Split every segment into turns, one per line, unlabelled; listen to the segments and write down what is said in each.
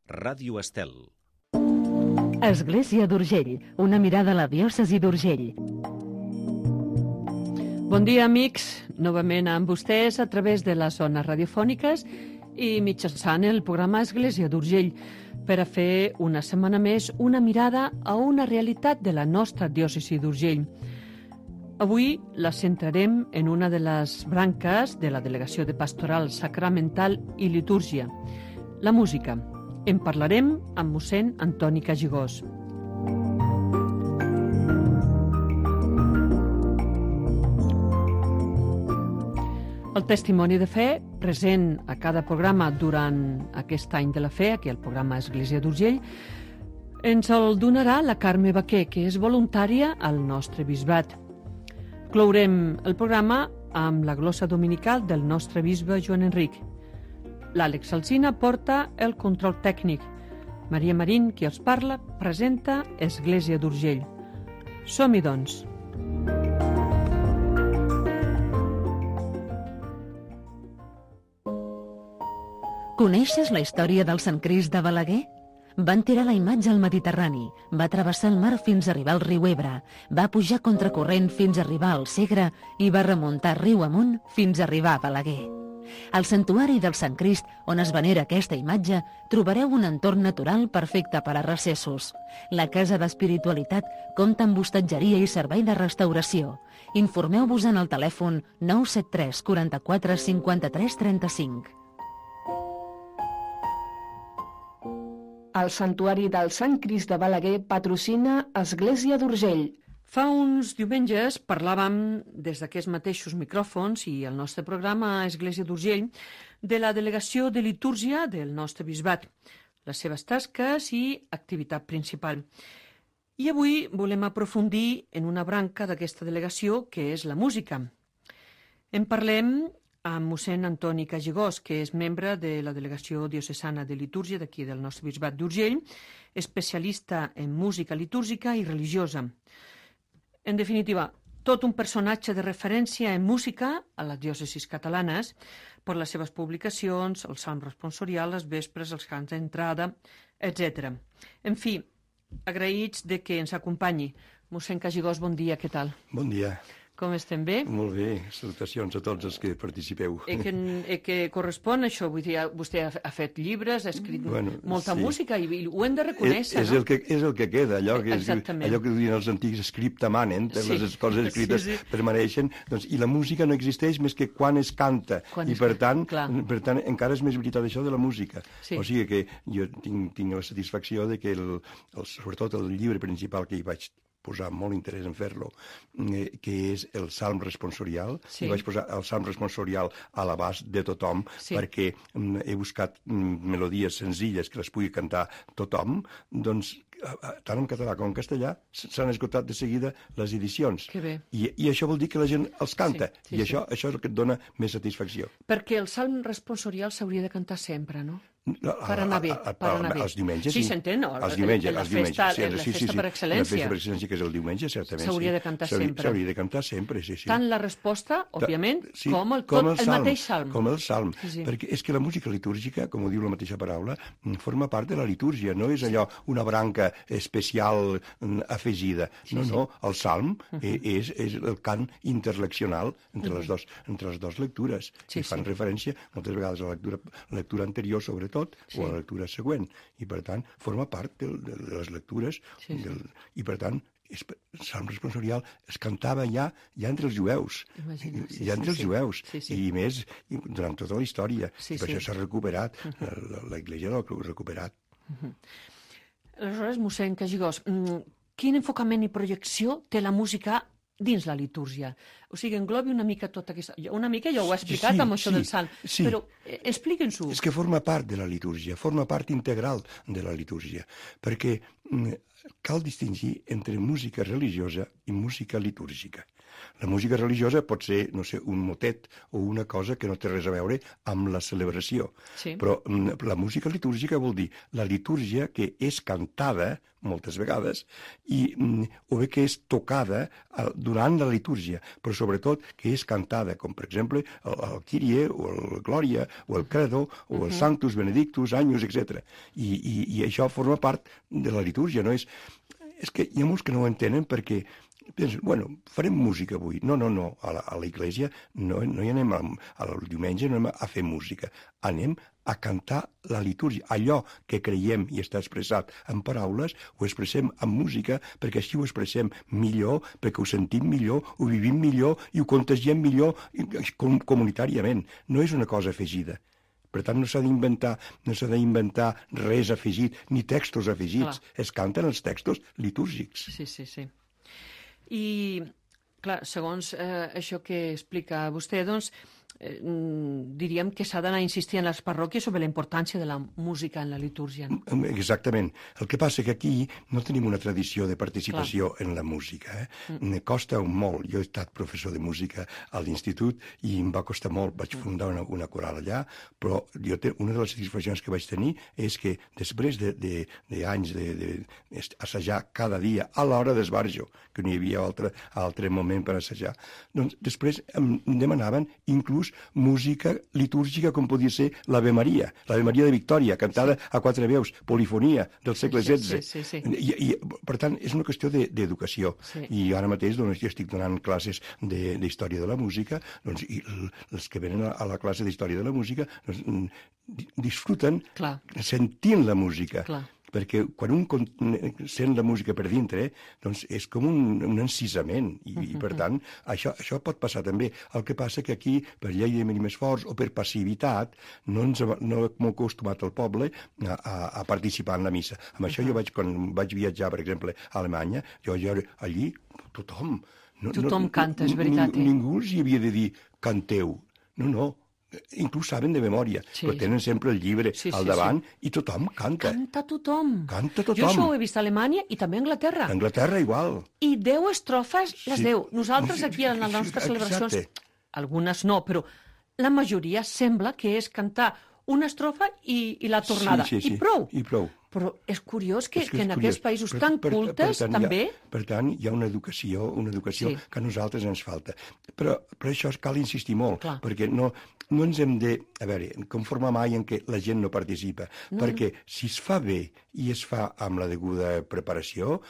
Ràdio Estel.
Església d'Urgell, una mirada a la diòcesi d'Urgell.
Bon dia, amics. Novament amb vostès a través de les zones radiofòniques i mitjançant el programa Església d'Urgell per a fer una setmana més una mirada a una realitat de la nostra diòcesi d'Urgell. Avui la centrarem en una de les branques de la Delegació de Pastoral Sacramental i Litúrgia, la música. En parlarem amb mossèn Antoni Cagigós. El testimoni de fe, present a cada programa durant aquest any de la fe, aquí al programa Església d'Urgell, ens el donarà la Carme Baquer, que és voluntària al nostre bisbat. Clourem el programa amb la glossa dominical del nostre bisbe Joan Enric. L'Àlex Alsina porta el control tècnic. Maria Marín, qui els parla, presenta Església d'Urgell. Som-hi, doncs.
Coneixes la història del Sant Crist de Balaguer? Van tirar la imatge al Mediterrani, va travessar el mar fins a arribar al riu Ebre, va pujar contracorrent fins a arribar al Segre i va remuntar riu amunt fins a arribar a Balaguer. Al santuari del Sant Crist, on es venera aquesta imatge, trobareu un entorn natural perfecte per a recessos. La Casa d'Espiritualitat compta amb hostatgeria i servei de restauració. Informeu-vos en el telèfon 973 44 53 35.
El Santuari del Sant Crist de Balaguer patrocina Església d'Urgell.
Fa uns diumenges parlàvem des d'aquests mateixos micròfons i el nostre programa Església d'Urgell de la delegació de litúrgia del nostre bisbat, les seves tasques i activitat principal. I avui volem aprofundir en una branca d'aquesta delegació que és la música. En parlem amb mossèn Antoni Cagigós, que és membre de la Delegació Diocesana de Litúrgia d'aquí del nostre bisbat d'Urgell, especialista en música litúrgica i religiosa. En definitiva, tot un personatge de referència en música a les diòcesis catalanes per les seves publicacions, el Salm responsorial, les vespres, els cants d'entrada, etc. En fi, agraïts de que ens acompanyi. Mossèn Cagigós, bon dia, què tal?
Bon dia.
Com estem bé?
Molt bé, salutacions a tots els que participeu.
Que correspon això, vull dir, vostè ha fet llibres, ha escrit molta música i ho hem de reconèixer,
no? És el que queda, allò que diuen els antics scripta manen, les coses escrites permaneixen, i la música no existeix més que quan es canta, i per tant encara és més veritat això de la música. O sigui que jo tinc la satisfacció de que sobretot el llibre principal que hi vaig posar molt interès en fer-lo, que és el Salm responsorial. I vaig posar el Salm responsorial a l'abast de tothom, perquè he buscat melodies senzilles que les pugui cantar tothom, doncs tant en català com en castellà s'han esgotat de seguida les edicions. I això vol dir que la gent els canta, i això és el que et dona més satisfacció.
Perquè el Salm responsorial s'hauria de cantar sempre, no? Per anar bé.
Els diumenges,
sí. Sí, s'entén, no?
Els diumenges.
La festa per excel·lència.
La festa per excel·lència, que és el diumenge, certament.
S'hauria de cantar sempre.
S'hauria de cantar sempre, sí.
Tant la resposta, òbviament, com el mateix salm.
Com el salm. Perquè és que la música litúrgica, com ho diu la mateixa paraula, forma part de la litúrgia, no és allò una branca especial afegida. No, el salm és el cant interleccional entre les dues lectures. I fan referència moltes vegades a la lectura anterior, sobretot, o a la lectura següent, i per tant forma part de les lectures, i per tant el Salm responsorial es cantava ja entre els jueus, i més durant tota la història, i per això s'ha recuperat, l'Església l'ha recuperat.
Aleshores, mossèn Cagigós, quin enfocament i projecció té la música dins la litúrgia? O sigui, englobi una mica tota aquesta... Una mica ja ho he explicat amb això del salm, però expliquin-s'ho.
És que forma part de la litúrgia, forma part integral de la litúrgia, perquè cal distingir entre música religiosa i música litúrgica. La música religiosa pot ser, no sé, un motet o una cosa que no té res a veure amb la celebració.
Sí.
Però la música litúrgica vol dir la litúrgia que és cantada moltes vegades o bé que és tocada durant la litúrgia, però sobretot que és cantada, com per exemple el Kyrie o el Glòria o el Credo o el Sanctus, Benedictus, Agnus, etc. I això forma part de la litúrgia, no és... És que hi ha molts que no ho entenen perquè pensen, bueno, farem música avui. No, a la iglesia no hi anem al diumenge, no anem a fer música. Anem a cantar la litúrgia. Allò que creiem i està expressat en paraules, ho expressem en música, perquè així ho expressem millor, perquè ho sentim millor, ho vivim millor i ho contagiem millor comunitàriament. No és una cosa afegida. Per tant, no s'ha d'inventar res afegit, ni textos afegits. Clar. Es canten els textos litúrgics.
Sí. I, clar, segons això que explica vostè, doncs, diríem que s'ha d'anar insistir en les parròquies sobre la importància de la música en la litúrgia. No?
Exactament. El que passa que aquí no tenim una tradició de participació en la música. Costa molt. Jo he estat professor de música a l'institut i em va costar molt. Vaig fundar una coral allà, però una de les satisfaccions que vaig tenir és que després d'anys d'assajar cada dia a l'hora d'esbarjo, que no hi havia altre moment per assajar, doncs després em demanaven inclús música litúrgica com podia ser l'Ave Maria de Victòria, cantada a 4 veus, polifonia del segle XVI.
Sí.
I, per tant, és una qüestió d'educació. Sí. I ara mateix doncs, jo estic donant classes d'història de la música, doncs, i els que venen a la classe d'història de la música doncs, disfruten sentint la música. Clar. Perquè quan un sent la música per dintre, doncs és com un encisament, i per tant, això pot passar també. El que passa que aquí, per llei de mínims forts o per passivitat, no hem acostumat el poble a participar en la missa. Amb això quan vaig viatjar, per exemple, a Alemanya, jo allí, tothom...
Tothom canta, és veritat.
Ningú els hi havia de dir, canteu. No. Inclús saben de memòria, però tenen sempre el llibre al davant i tothom canta.
Canta tothom.
Jo
això ho he vist a Alemanya i també a Anglaterra.
A Anglaterra igual.
I 10 estrofes les 10. Nosaltres aquí en les nostres celebracions, algunes no, però la majoria sembla que és cantar una estrofa i la tornada. I prou. Però és curiós que en aquests països tan cultes també...
Per tant, hi ha una educació que a nosaltres ens falta. Però això cal insistir molt, perquè no ens hem de... A veure, conformar mai en què la gent no participa, perquè si es fa bé i es fa amb la deguda preparació,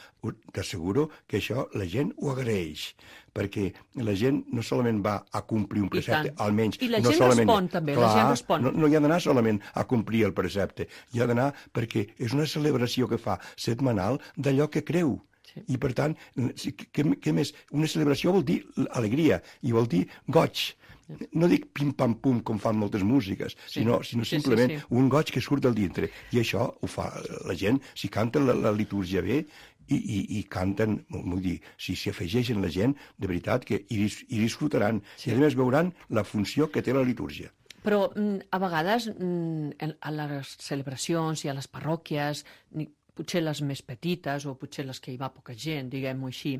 t'asseguro que això la gent ho agraeix, perquè la gent no solament va a complir un precepte, almenys...
I la gent respon també, la gent respon.
No hi ha d'anar solament a complir el precepte, hi ha d'anar perquè és una celebració que fa setmanal d'allò que creu. Sí. I, per tant, què més? Una celebració vol dir alegria i vol dir goig. No dic pim-pam-pum com fan moltes músiques, sinó simplement un goig que surt del dintre. I això ho fa la gent, si canten la litúrgia bé i canten, vull dir, si s'hi afegeixen la gent, de veritat que hi disfrutaran. I a més veuran la funció que té la litúrgia.
Però a vegades a les celebracions i a les parròquies, potser les més petites o potser les que hi va poca gent, diguem-ho així,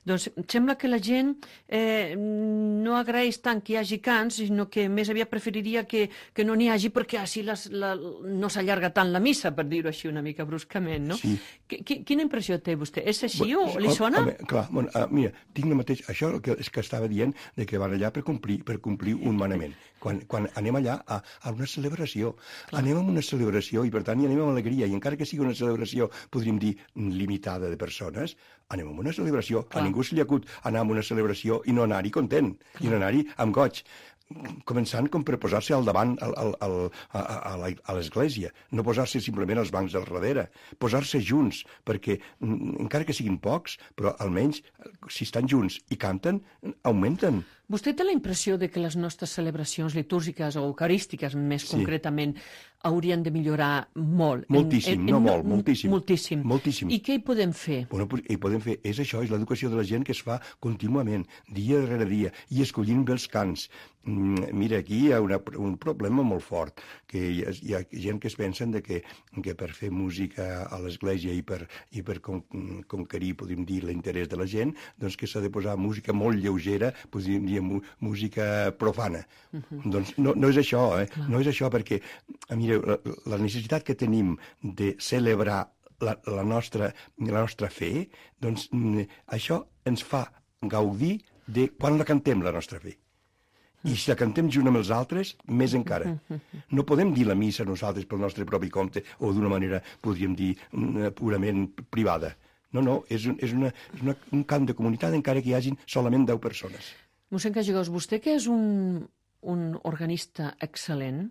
doncs sembla que la gent no agraeix tant que hi hagi cants, sinó que més aviat preferiria que no n'hi hagi perquè així no s'allarga tant la missa, per dir-ho així una mica bruscament, no? Sí. Quina impressió té vostè? És així o li sona?
Clar, mira, tinc el mateix... Això és que estava dient de que van allà per complir un manament. Quan anem allà a una celebració, anem a una celebració i per tant hi anem amb alegria, i encara que sigui una celebració, podríem dir, limitada de persones, anem a una celebració. A ningú se li acut anar a una celebració i no anar-hi content, i no anar-hi amb goig. Començant com per posar-se al davant a l'església, no posar-se simplement als bancs del darrere, posar-se junts, perquè encara que siguin pocs, però almenys si estan junts i canten, augmenten.
Vostè té la impressió de que les nostres celebracions litúrgiques o eucarístiques, més concretament, haurien de millorar molt?
Moltíssim, moltíssim.
Moltíssim. I què hi podem fer?
Bueno, hi podem fer, és això, és l'educació de la gent que es fa contínuament, dia darrere dia, i escollint bé els cants. Mira, aquí hi ha un problema molt fort, que hi ha gent que es pensen que per fer música a l'església i per conquerir, podríem dir, l'interès de la gent, doncs que s'ha de posar música molt lleugera, podríem dir música profana. Doncs no és això, no és això, perquè, mireu, la necessitat que tenim de celebrar la nostra fe, doncs això ens fa gaudir de quan la cantem, la nostra fe. I si la cantem junt amb els altres, més encara. No podem dir la missa nosaltres pel nostre propi compte o d'una manera, podríem dir, purament privada. No, és un cant de comunitat encara que hi hagin solament 10 persones.
Mossèn Cagigós, vostè que és un organista excel·lent,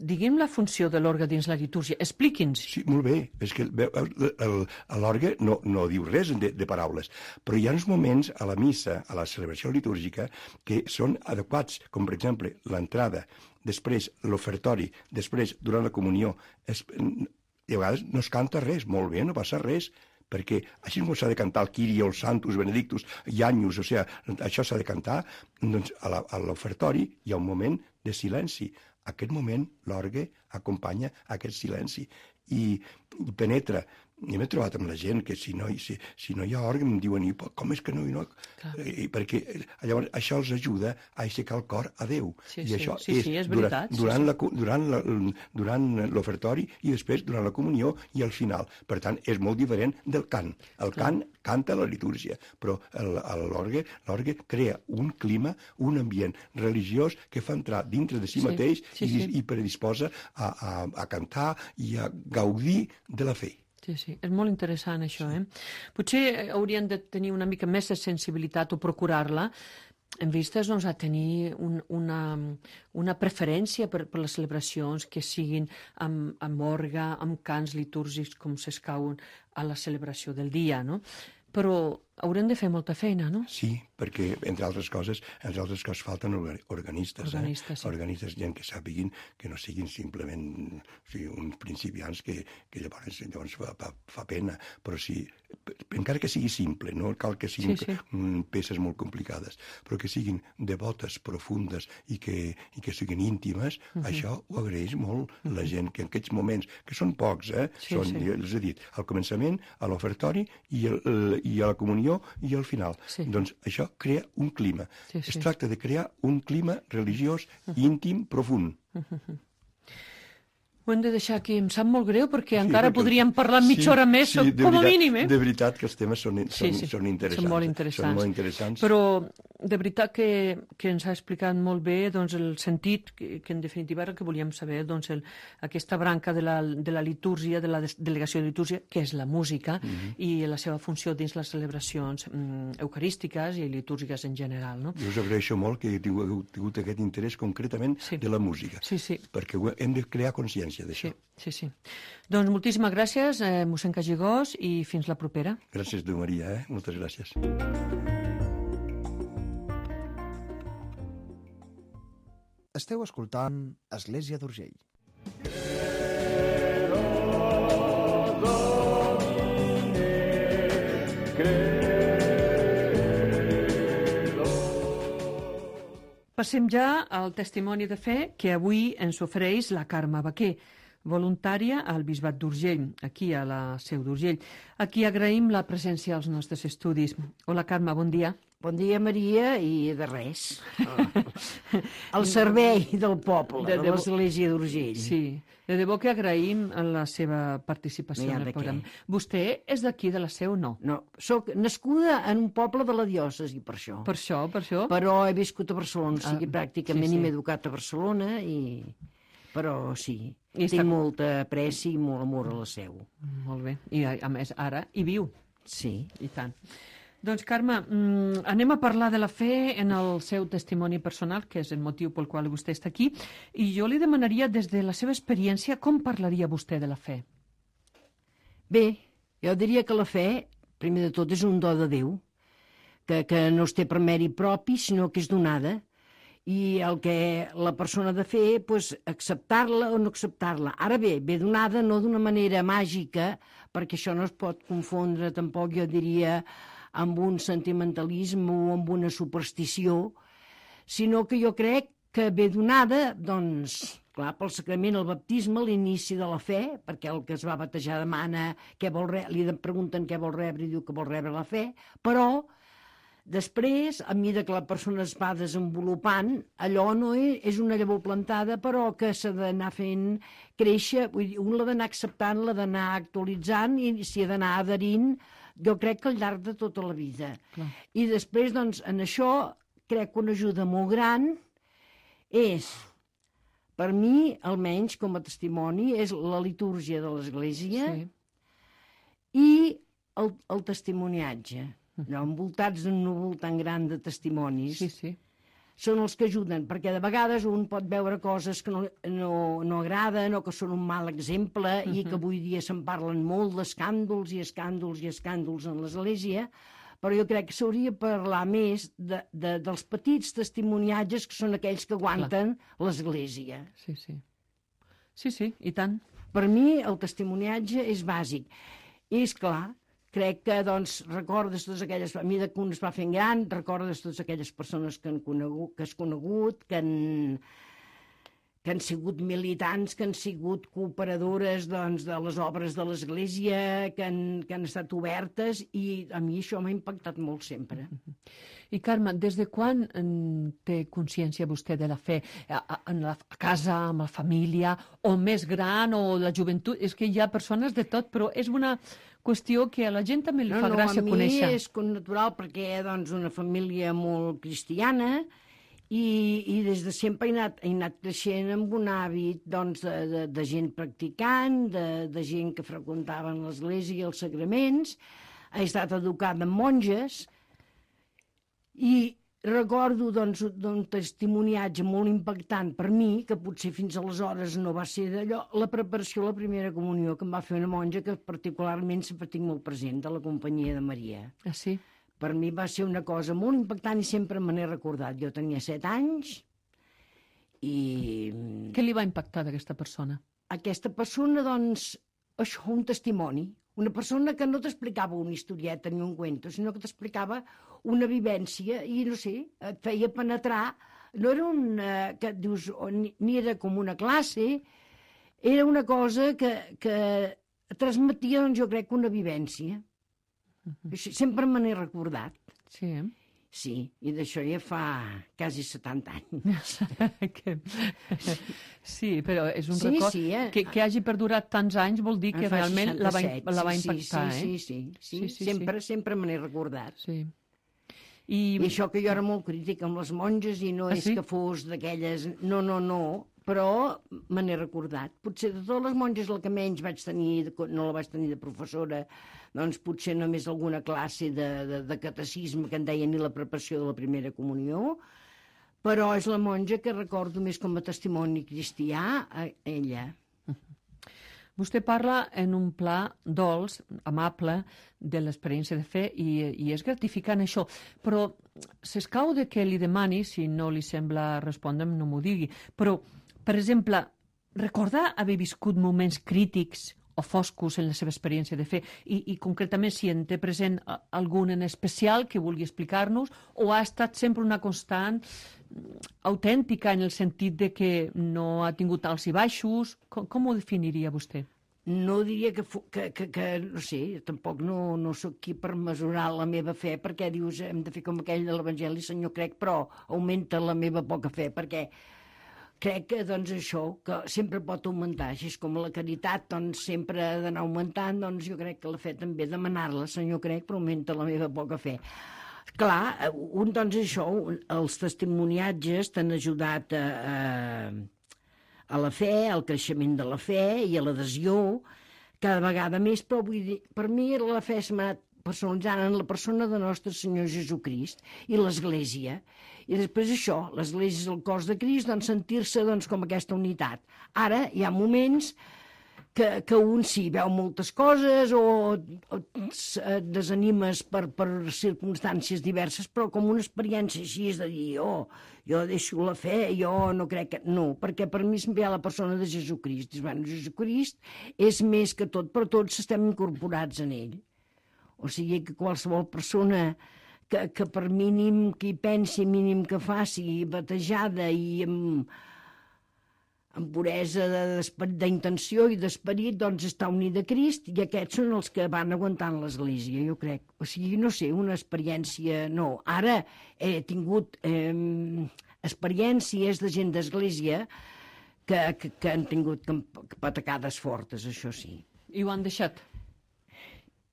diguem la funció de l'orgue dins la litúrgia. Expliqui'ns.
Sí, molt bé. És que l'orgue no diu res de paraules, però hi ha uns moments a la missa, a la celebració litúrgica, que són adequats, com per exemple l'entrada, després l'ofertori, després durant la comunió. I a vegades no es canta res, molt bé, no passa res, perquè així com s'ha de cantar el Kyrie, el Sanctus, Benedictus, Ianius, o sigui, això s'ha de cantar, doncs a l'ofertori hi ha un moment de silenci. Aquest moment, l'orgue acompanya aquest silenci i penetra. Jo m'he trobat amb la gent que si no hi ha orgue em diuen, com és que no? Perquè llavors això els ajuda a aixecar el cor a Déu.
I això és veritat.
Durant l'ofertori i després durant la comunió i al final. Per tant, és molt diferent del cant. El cant canta la litúrgia, però l'orgue crea un clima, un ambient religiós que fa entrar dintre de si mateix i predisposa a cantar i a gaudir de la fe.
Sí, és molt interessant això, Potser haurien de tenir una mica més de sensibilitat o procurar-la en vistes a tenir una preferència per les celebracions que siguin amb orgue, amb cants litúrgics com s'escauen a la celebració del dia, no? Però haurem de fer molta feina, no?
Sí, perquè, entre altres coses falten organistes. Organistes, gent que sàpiguin, que no siguin simplement uns principiants que llavors fa pena. Però sí, encara que sigui simple, no cal que siguin peces molt complicades, però que siguin devotes, profundes i que siguin íntimes, això ho agraeix molt la gent, que en aquests moments, que són pocs, els he dit, al començament, a l'ofertori i a la comunió i al final. Doncs això crea un clima. Es tracta de crear un clima religiós íntim, profund.
Ho hem de deixar aquí. Em sap molt greu perquè encara podríem parlar mitja hora més, com a mínim.
De veritat que els temes són interessants.
Són molt interessants. Però de veritat que ens ha explicat molt bé el sentit que en definitiva era el que volíem saber, aquesta branca de la litúrgia, de la delegació de litúrgia, que és la música, i la seva funció dins les celebracions eucarístiques i litúrgiques en general.
Jo us agraeixo molt que he tingut aquest interès concretament de la música, perquè hem de crear consciència d'això.
Sí. Doncs moltíssimes gràcies, mossèn Cagigós, i fins la propera.
Gràcies, Déu Maria, moltes gràcies.
Esteu escoltant Església d'Urgell.
Passem ja al testimoni de fe que avui ens ofereix la Carme Baquer, voluntària al Bisbat d'Urgell, aquí a la Seu d'Urgell. Aquí agraïm la presència als nostres estudis. Hola, Carme, bon dia.
Bon dia, Maria, i de res. El servei del poble, de l'Església d'Urgell.
Sí, de debò que agraïm la seva participació en el programa. Vostè és d'aquí, de la Seu, no?
No, soc nascuda en un poble de la diòcesi, per això.
Per això?
Però he viscut a Barcelona, o sigui, pràcticament m'he educat a Barcelona, però sí, tinc molta apreci i molt amor a la Seu.
Molt bé, i a més ara hi viu.
Sí.
I tant. Doncs, Carme, anem a parlar de la fe en el seu testimoni personal, que és el motiu pel qual vostè està aquí, i jo li demanaria, des de la seva experiència, com parlaria vostè de la fe?
Bé, jo diria que la fe, primer de tot, és un do de Déu, que no es té per mèrit propi, sinó que és donada. I el que la persona ha de fer, doncs, acceptar-la o no acceptar-la. Ara bé, ve donada no d'una manera màgica, perquè això no es pot confondre tampoc, jo diria, amb un sentimentalisme o amb una superstició, sinó que jo crec que ve donada, doncs, clar, pel sacrament, el baptisme, l'inici de la fe, perquè el que es va batejar demana què vol rebre, li pregunten què vol rebre i diu que vol rebre la fe, però després, a mesura que la persona es va desenvolupant, allò no és una llavor plantada, però que s'ha d'anar fent créixer, vull dir, un l'ha d'anar acceptant, l'ha d'anar actualitzant i s'hi ha d'anar adherint, jo crec que al llarg de tota la vida. Clar. I després, doncs, en això, crec que una ajuda molt gran és, per mi, almenys com a testimoni, és la litúrgia de l'Església i el testimoniatge. Envoltats d'un núvol tan gran de testimonis, són els que ajuden, perquè de vegades un pot veure coses que no agraden o que són un mal exemple i que avui dia se'n parlen molt d'escàndols i escàndols i escàndols en l'Església, però jo crec que s'hauria de parlar més dels petits testimoniatges que són aquells que aguanten l'Església.
Sí, i tant.
Per mi el testimoniatge és bàsic. I és clar, crec que, doncs, recordes totes aquelles... A mesura que un es va fent gran, recordes totes aquelles persones que has conegut, que han sigut militants, que han sigut cooperadores, doncs, de les obres de l'Església, que han estat obertes, i a mi això m'ha impactat molt sempre.
I, Carme, des de quan té consciència vostè de la fe? A casa, amb la família, o més gran, o la joventut? És que hi ha persones de tot, però és una qüestió que a la gent també li fa gràcia conèixer.
A mi és natural perquè, doncs, una família molt cristiana, i des de sempre he anat creixent amb un hàbit, doncs, de gent practicant, de gent que freqüentaven l'Església i els sagraments. He estat educada amb monges i recordo, doncs, d'un testimoniatge molt impactant per mi, que potser fins aleshores no va ser d'allò, la preparació a la primera comunió que em va fer una monja que particularment sempre tinc molt present, de la Companyia de Maria.
Ah, sí?
Per mi va ser una cosa molt impactant i sempre me n'he recordat. Jo tenia 7 anys i...
Què li va impactar d'aquesta persona?
Aquesta persona, doncs, això, un testimoni. Una persona que no t'explicava una historieta ni un cuento, sinó que t'explicava una vivència i, no sé, et feia penetrar. No era que dius, ni era com una classe, era una cosa que transmetia, doncs, jo crec, una vivència. Sempre me n'he recordat.
Sí,
Sí, i d'això ja fa quasi 70 anys.
Sí, però és un record que hagi perdurat tants anys vol dir que realment la va impactar.
Sí. Sempre me n'he recordat.
Sí.
I això que jo era molt crítica amb les monges i no és que fos d'aquelles... No, però me n'he recordat. Potser de totes les monges el que menys vaig tenir, no la vaig tenir de professora, doncs potser només alguna classe de catecisme que en deien ni la preparació de la primera comunió, però és la monja que recordo més com a testimoni cristià, ella.
Vostè parla en un pla dolç, amable, de l'experiència de fe i és gratificant això, però s'escau de que li demani, si no li sembla respondre'm, no m'ho digui, però, per exemple, recordar haver viscut moments crítics o foscos en la seva experiència de fe i concretament si en té present algun en especial que vulgui explicar-nos o ha estat sempre una constant autèntica en el sentit de que no ha tingut alts i baixos? Com ho definiria vostè?
No diria que no sé, tampoc no soc qui per mesurar la meva fe, perquè dius hem de fer com aquell de l'Evangeli, Senyor, crec, però augmenta la meva poca fe, perquè crec que, doncs, això, que sempre pot augmentar, així com la caritat, doncs, sempre ha d'anar augmentant, doncs jo crec que la fe també demanar-la, Senyor, crec, però augmenta la meva poca fe. Clar, doncs això, els testimoniatges t'han ajudat a la fe, al creixement de la fe i a l'adhesió, cada vegada més, però vull dir, per mi la fe s'ha anat personalitzant en la persona de nostre Senyor Jesucrist i l'Església. I després això, l'Església és el cos de Crist, doncs sentir-se doncs, com aquesta unitat. Ara hi ha moments que un sí veu moltes coses o et desanimes per circumstàncies diverses, però com una experiència així és de dir, jo deixo la fe, jo no crec que... No, perquè per mi es ve a la persona de Jesucrist. Dius, bueno, Jesucrist és més que tot, però tots estem incorporats en ell. O sigui que qualsevol persona que per mínim que hi pensi, mínim que faci, batejada i amb puresa d'intenció i d'esperit, doncs està unida a Crist, i aquests són els que van aguantant l'Església, jo crec. O sigui, no sé, una experiència... No, ara he tingut experiències de gent d'Església que han tingut patacades fortes, això sí.
I ho han deixat?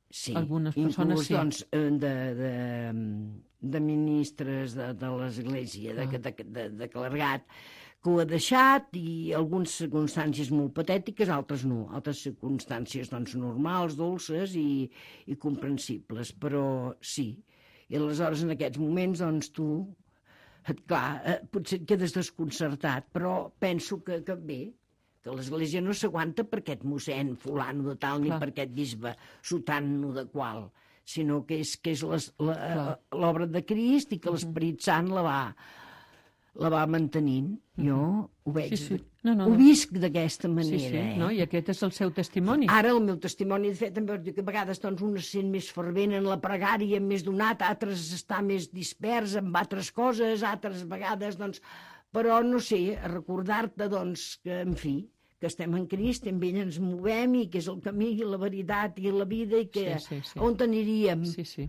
Sí,
algunes persones
inclús, doncs, de ministres de l'Església, de clergat, que ho ha deixat, i algunes circumstàncies molt patètiques, altres no, altres circumstàncies doncs, normals, dolces i comprensibles, però sí. I aleshores en aquests moments doncs, tu, clar, potser et quedes desconcertat, però penso que bé, que l'Església no s'aguanta per aquest mossèn fulano de tal, ni per aquest bisbe sotano de qual, sinó que és l'obra de Crist i que l'Esperit Sant la va mantenint. Jo ho veig, ho visc d'aquesta manera.
No? I aquest és el seu testimoni.
Ara el meu testimoni, de fet, també diu que a vegades doncs, un es sent més fervent en la pregària, més donat, altres està més dispers amb altres coses, altres vegades, doncs... Però, no sé, recordar-te, doncs, que, en fi, que estem en Crist, amb ell ens movem i que és el camí i la veritat i la vida i que on aniríem.
Sí.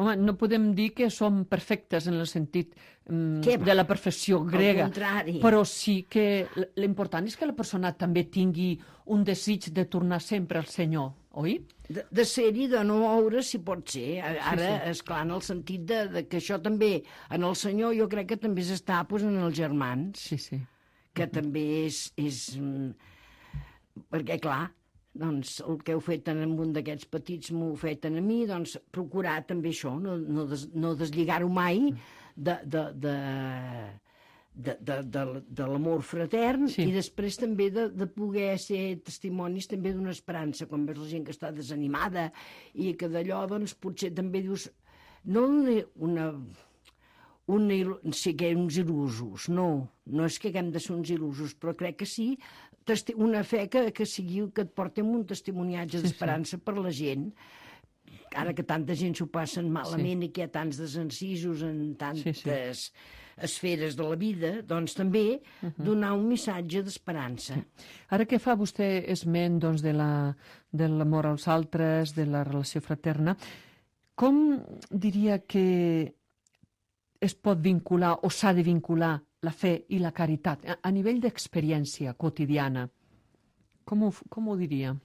Home, no podem dir que som perfectes en el sentit de la perfecció grega, però sí que l'important és que la persona també tingui un desig de tornar sempre al Senyor, oi?
De ser-hi, de no moure, si pot ser. Ara, esclar, en el sentit que això també, en el Senyor, jo crec que també s'està en els germans.
Sí.
Que també és... Perquè, clar, doncs, el que heu fet en un d'aquests petits m'ho heu fet a mi, doncs procurar també això, no deslligar-ho mai de l'amor fratern i després també de poder ser testimonis també d'una esperança, quan veus la gent que està desanimada i que d'allò, doncs, potser també dius, no ser uns il·lusos, no és que haguem de ser uns il·lusos, però crec que sí, una fe que sigui que et porti un testimoniatge d'esperança per la gent, ara que tanta gent s'ho passen malament i que hi ha tants desencisos en tantes esferes de la vida, doncs també donar un missatge d'esperança.
Ara que fa vostè esment doncs, de l'amor als altres, de la relació fraterna, com diria que es pot vincular o s'ha de vincular la fe i la caritat a nivell d'experiència quotidiana? Com ho diria?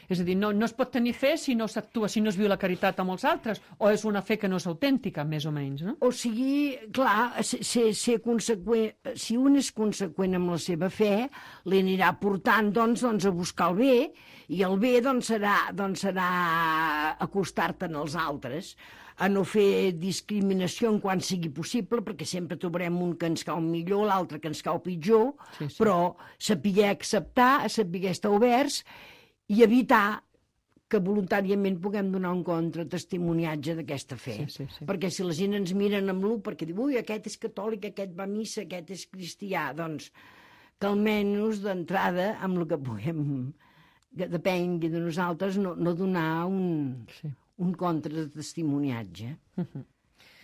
És a dir, no es pot tenir fe si no s'actua, si no es viu la caritat amb els altres, o és una fe que no és autèntica, més o menys, no?
O sigui, clar, ser conseqüent, si un és conseqüent amb la seva fe, li anirà portant, doncs, a buscar el bé, i el bé, doncs, serà acostar-te'n als altres, a no fer discriminació en quan sigui possible, perquè sempre trobarem un que ens cau millor, l'altre que ens cau pitjor, però saber acceptar, saber estar oberts i evitar que voluntàriament puguem donar un contratestimoniatge d'aquesta fe. Perquè si la gent ens miren amb l'u perquè diu, ui, aquest és catòlic, aquest va a missa, aquest és cristià, doncs que almenys d'entrada, amb el que puguem, que depengui de nosaltres, no donar un contratestimoniatge.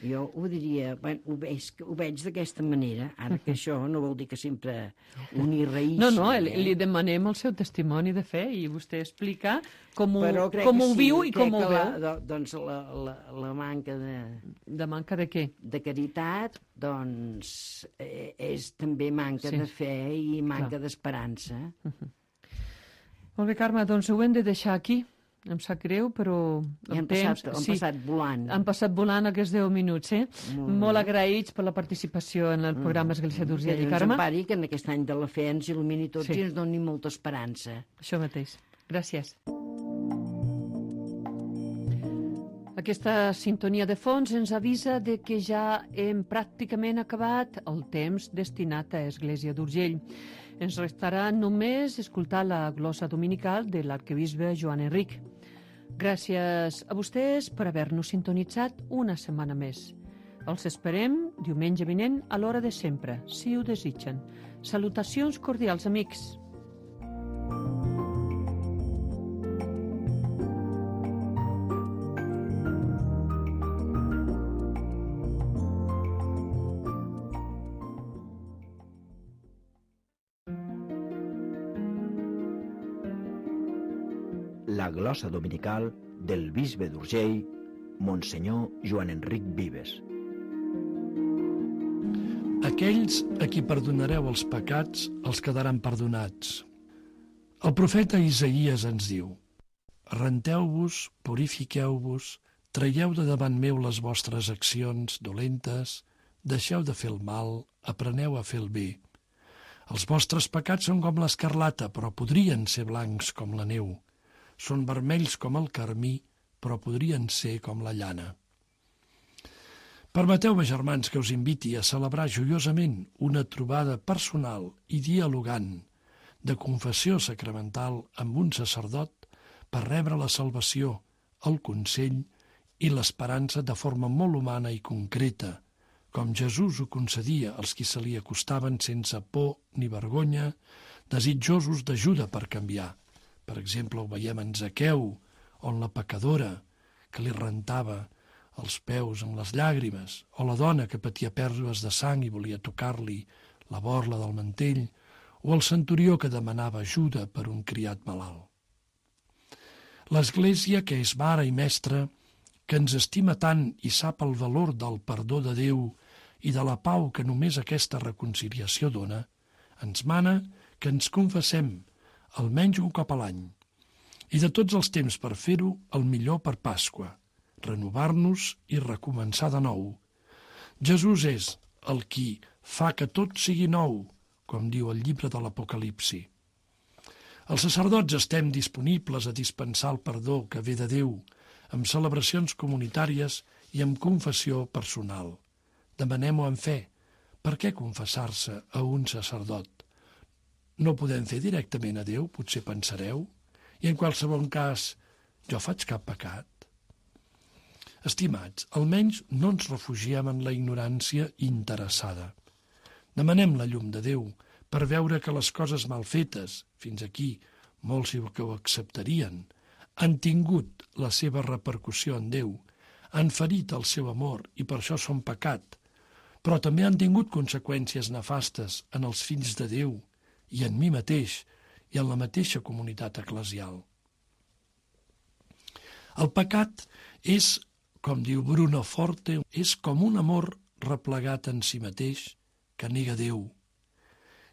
Jo ho diria, ho veig d'aquesta manera, ara que això no vol dir que sempre un hi reïssi.
No, li demanem el seu testimoni de fe i vostè explica com ho viu i com ho veu.
Doncs la manca de...
De manca de què?
De caritat, doncs, és també manca de fe i manca d'esperança.
Molt bé, Carme, doncs ho hem de deixar aquí. Em sap greu, però...
Han passat volant.
Han passat volant aquests 10 minuts, Molt agraïts per la participació en el programa Església d'Urgell i Carme.
Que ens empari, que en aquest any de la fe ens il·lumini tots i ens doni molta esperança.
Això mateix. Gràcies. Aquesta sintonia de fons ens avisa de que ja hem pràcticament acabat el temps destinat a Església d'Urgell. Ens restarà només escoltar la glossa dominical de l'arquebisbe Joan Enric. Gràcies a vostès per haver-nos sintonitzat una setmana més. Els esperem diumenge vinent a l'hora de sempre, si ho desitgen. Salutacions cordials, amics.
La glossa dominical del bisbe d'Urgell, Monsenyor Joan Enric Vives.
Aquells a qui perdonareu els pecats els quedaran perdonats. El profeta Isaïes ens diu: renteu-vos, purifiqueu-vos, traieu de davant meu les vostres accions dolentes, deixeu de fer el mal, apreneu a fer el bé. Els vostres pecats són com l'escarlata, però podrien ser blancs com la neu. Són vermells com el carmí, però podrien ser com la llana. Permeteu-me, germans, que us inviti a celebrar joiosament una trobada personal i dialogant de confessió sacramental amb un sacerdot per rebre la salvació, el consell i l'esperança de forma molt humana i concreta, com Jesús ho concedia als qui se li acostaven sense por ni vergonya, desitjosos d'ajuda per canviar. Per exemple, ho veiem en Zaqueu, on la pecadora que li rentava els peus amb les llàgrimes, o la dona que patia pèrdues de sang i volia tocar-li la borla del mantell, o el centurió que demanava ajuda per un criat malalt. L'Església, que és mare i mestra, que ens estima tant i sap el valor del perdó de Déu i de la pau que només aquesta reconciliació dona, ens mana que ens confessem almenys un cop a l'any, i de tots els temps per fer-ho, el millor per Pasqua, renovar-nos i recomençar de nou. Jesús és el qui fa que tot sigui nou, com diu el llibre de l'Apocalipsi. Els sacerdots estem disponibles a dispensar el perdó que ve de Déu, amb celebracions comunitàries i amb confessió personal. Demanem-ho amb fe. Per què confessar-se a un sacerdot? No podem fer directament a Déu, potser pensareu, i en qualsevol cas, jo faig cap pecat. Estimats, almenys no ens refugiem en la ignorància interessada. Demanem la llum de Déu per veure que les coses mal fetes, fins aquí molts que ho acceptarien, han tingut la seva repercussió en Déu, han ferit el seu amor i per això són pecat, però també han tingut conseqüències nefastes en els fills de Déu i en mi mateix i en la mateixa comunitat eclesial. El pecat és, com diu Bruno Forte, és com un amor replegat en si mateix que nega Déu.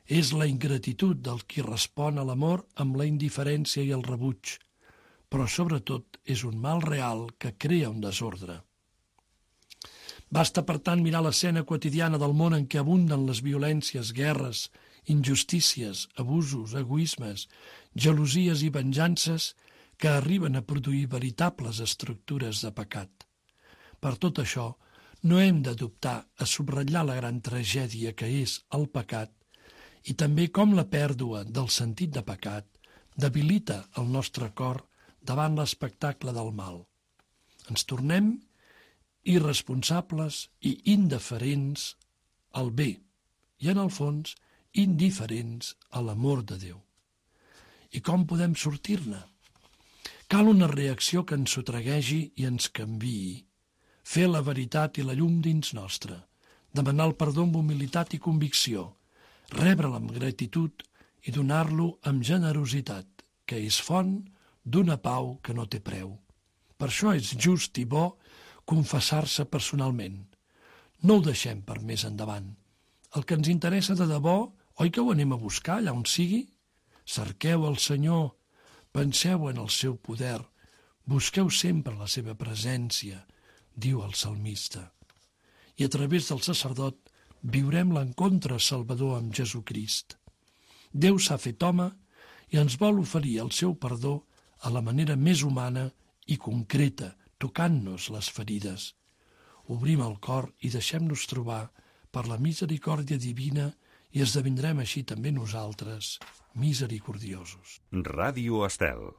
És la ingratitud del qui respon a l'amor amb la indiferència i el rebuig, però sobretot és un mal real que crea un desordre. Basta, per tant, mirar l'escena quotidiana del món en què abunden les violències, guerres, injustícies, abusos, egoismes, gelosies i venjances que arriben a produir veritables estructures de pecat. Per tot això, no hem de dubtar a subratllar la gran tragèdia que és el pecat i també com la pèrdua del sentit de pecat debilita el nostre cor davant l'espectacle del mal. Ens tornem irresponsables i indiferents al bé i, en el fons, indiferents a l'amor de Déu. I com podem sortir-ne? Cal una reacció que ens sotraguegi i ens canviï, fer la veritat i la llum dins nostre, demanar el perdó amb humilitat i convicció, rebre'l amb gratitud i donar-lo amb generositat, que és font d'una pau que no té preu. Per això és just i bo confessar-se personalment. No ho deixem per més endavant. El que ens interessa de debò, oi que ho anem a buscar allà on sigui? Cerqueu el Senyor, penseu en el seu poder, busqueu sempre la seva presència, diu el salmista. I a través del sacerdot viurem l'encontre salvador amb Jesucrist. Déu s'ha fet home i ens vol oferir el seu perdó a la manera més humana i concreta, tocant-nos les ferides. Obrim el cor i deixem-nos trobar per la misericòrdia divina i esdevindrem així també nosaltres misericordiosos.
Ràdio Estel.